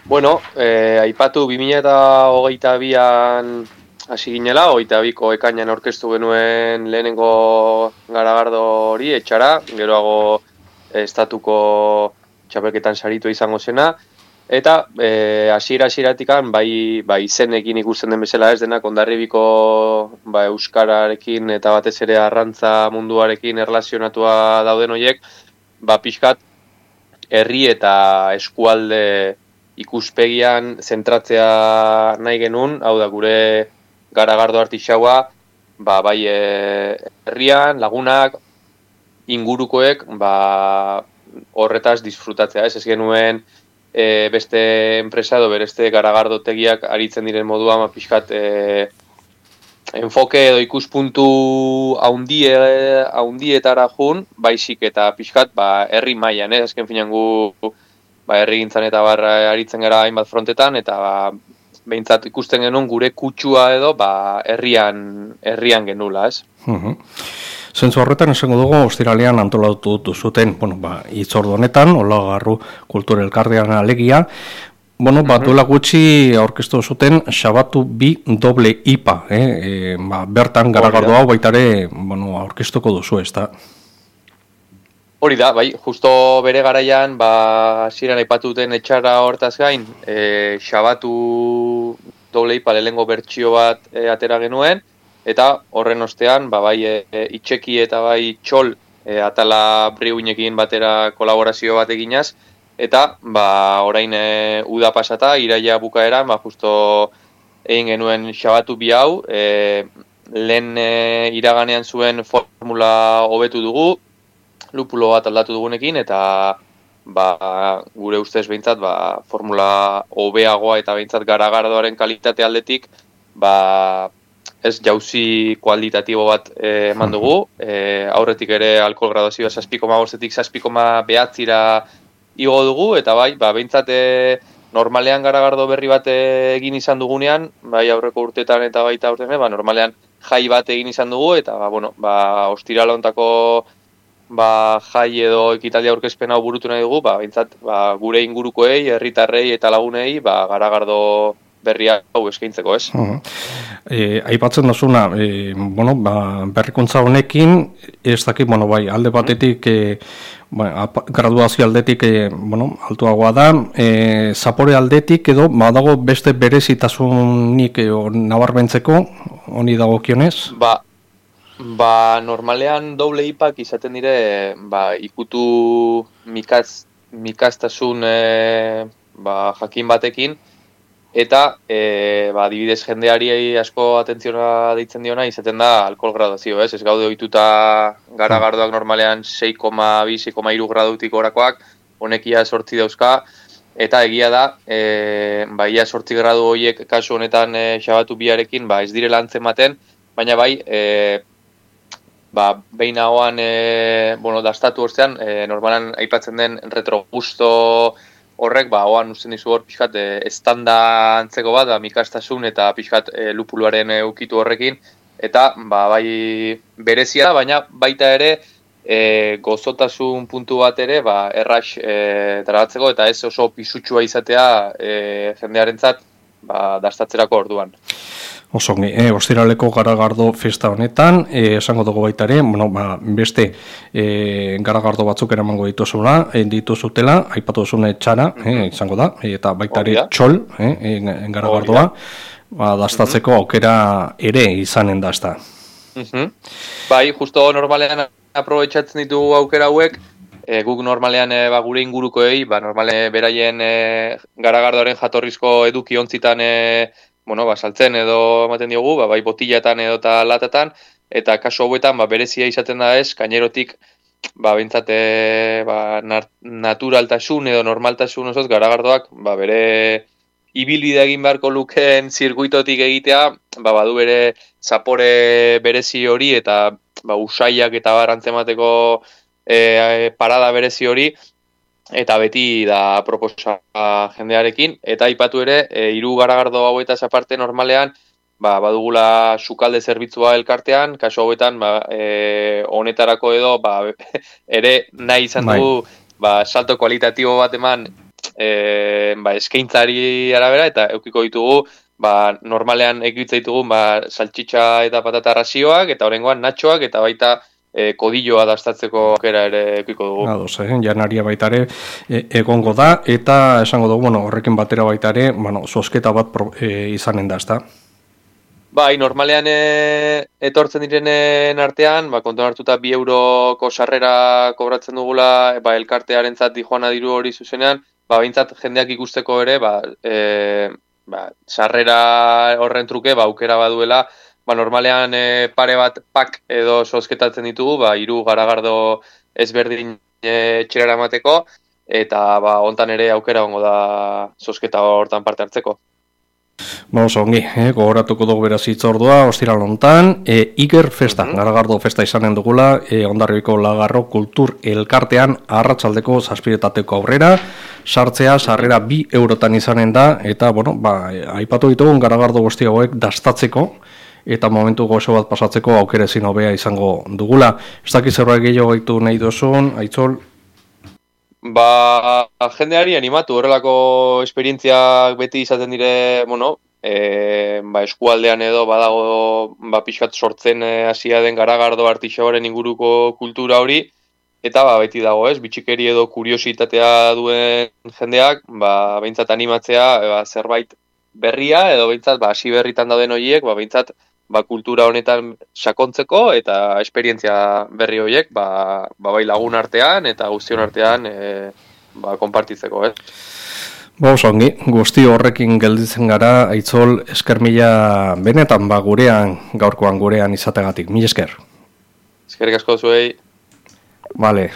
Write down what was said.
Bueno, aipatu 2022an hasi ginela, 22ko ekainan aurkeztu genuen lehenengo garagardo hori etxara, geroago estatuko txapelketan saritu izango zena, eta hasiera-hasieratik bai izenekin ikusten den bezala ez denak Hondarribiko euskararekin eta batez ere arrantza munduarekin erlazionatua dauden horiek, pixkat herri eta eskualde ikuspegian zentratzea nahi genuen, hau da gure garagardo artixaua, bai herrian, lagunak, ingurukoek, horretaz disfrutatzea, ez genuen beste enpresa edo bereste garagardotegiak aritzen diren moduan, pixkat enfoke edo ikuspuntu haundietara jun, baizik eta pixkat herri mailan, azken finan gu herrigintzan eta aritzen gara hainbat frontetan, eta behintzat ikusten genuen gure kutsua edo herrian genula, ez? Zentzu horretan esango dugu, ostiralean antolatu zuten, hitzordu honetan, Olagarru Kultura Elkartean alegia, duela gutxi aurkeztu zuten Xabatu 2 doble IPA, bertan garagardo hau baitare aurkeztuko duzu, ez da? Hori da, bai, justo bere garaian, hasieran aipatu duten etxara hortaz gain, Xabatu doble IPA lehengo bertsio bat atera genuen, eta horren ostean, bai itxeki eta bai txol atala briuinekin batera kolaborazio bat eginaz, eta orain uda pasata, iraila bukaeran, justo egin genuen Xabatu 2 hau, lehen iraganean zuen formula hobetu dugu, lupulo bat aldatu dugunekin, eta gure ustez behintzat formula hobeagoa eta behintzat garagardoaren kalitate aldetik ez jauzi kualitatibo bat eman dugu, aurretik ere alkohol graduazioa 6,5-etik 6,9-ra igo dugu, eta behintzat normalean garagardo berri bat egin izan dugunean, aurreko urtetan eta baita urtean, normalean jai bat egin izan dugu, eta ostirala hontako jai edo ekitaldia aurkezpen hau burutu nahi dugu, behintzat gure ingurukoei, herritarrei eta lagunei garagardo berria hau eskaintzeko, ez? Aipatzen duzuna, berrikuntza honekin, ez dakit, alde batetik, graduazio aldetik, altuagoa da, zapore aldetik edo, dago beste berezitasunik nabarmentzeko, honi dagokionez? Normalean doble ipak izaten dire, ikutu mikaztasun jakin batekin, eta adibidez jendeari asko atentziona deitzen diona izaten da alkohol graduazio, ez gaude ohituta garagardoak normalean 6,2-6,3 gradutik orakoak, honekia 8 dauzka, eta egia da, ia 8 gradu horiek kasu honetan Xabatu 2arekin ez direla antzematen, baina behin hauan dastatu ortean, normalan aipatzen den retrogusto horrek, hoan usten dizu hor pixkat estanda antzeko bat, mikastasun eta pixkat lupuluaren ukitu horrekin, eta berezia da, baina baita ere gozotasun puntu bat ere errax tragatzeko, eta ez oso pisutsua izatea jendearentzat dastatzerako orduan. Osongi, ostiraleko garagardo festa honetan, esango dugu baita ere, beste garagardo batzuk eramango dituzutela, aipatu duzune txara, izango da, eta baita ere txol, garagardoa, dastatzeko aukera ere izanen da, ez da. Justo normalean aprobetxatzen ditugu aukera hauek, guk normalean gure ingurukoei, normalean beraien garagardoaren jatorrizko eduki ontzitan saltzen edo ematen diogu, bai botiletan edo eta latatan, eta kasu hauetan berezia izaten da ez, gainerotik behintzat naturaltasun edo normaltasun osoz garagardoak bere ibilbidea egin beharko lukeen zirkuitotik egitea, badu bere zapore berezi hori eta usaiak eta barantzemateko parada berezi hori, eta beti da proposa jendearekin, eta aipatu ere, 3 garagardo hauetaz aparte normalean, badugula sukalde zerbitzua elkartean, kasu hauetan, honetarako edo, ere nahi izan dugu, salto kualitatibo bat eman eskaintzari arabera, eta eukiko ditugu, normalean ekitza ditugu, saltxitxa eta patata razioak, eta horrengoan natxoak, eta baita kodilloa dastatzeko aukera ere eukiko dugu. Ados, janaria baita ere egongo da, eta esango dugu, horrekin batera baita ere, zozketa bat izanen da, ezta? Bai, normalean etortzen direnen artean, kontuan hartuta 2 euroko sarrera kobratzen dugula, elkartearentzat dijoana diru hori zuzenean, behintzat jendeak ikusteko ere, sarrera horren truke, aukera baduela, normalean pare bat pak edo zozketatzen ditugu, 3 garagardo ezberdin etxera emateko, eta hontan ere aukera gongo da zozketa hortan parte hartzeko. Ongi, gogoratuko dugu beraz hitzordua, ostiral hontan, Iker festa, garagardo festa izanen dugula, Hondarribiko Lagarro Kultur Elkartean arratsaldeko 7:00 aurrera, sartzea sarrera 2 eurotan izanen da, eta, aipatu ditugun garagardo guzti hauek dastatzeko, eta momentu gozo bat pasatzeko aukera ezin hobea izango dugula. Ez dakiz zerbait gehiago gaitu nahi duzun, Aitzol? Jendeari animatu, horrelako esperientziak beti izaten dire, eskualdean edo badago pixkat sortzen hasia den garagardo artixaoaren inguruko kultura hori, eta beti dago, bitxikeri edo kuriositatea duen jendeak, behintzat animatzea zerbait berria, edo behintzat hasi berritan dauden horiek, behintzat kultura honetan sakontzeko eta esperientzia berri horiek bai lagun artean eta guztion artean konpartitzeko. Ongi, guzti horrekin gelditzen gara, Aitzol, esker mila benetan gaurkoan gurean izategatik. Mila esker. Eskerrik asko zuei. Vale.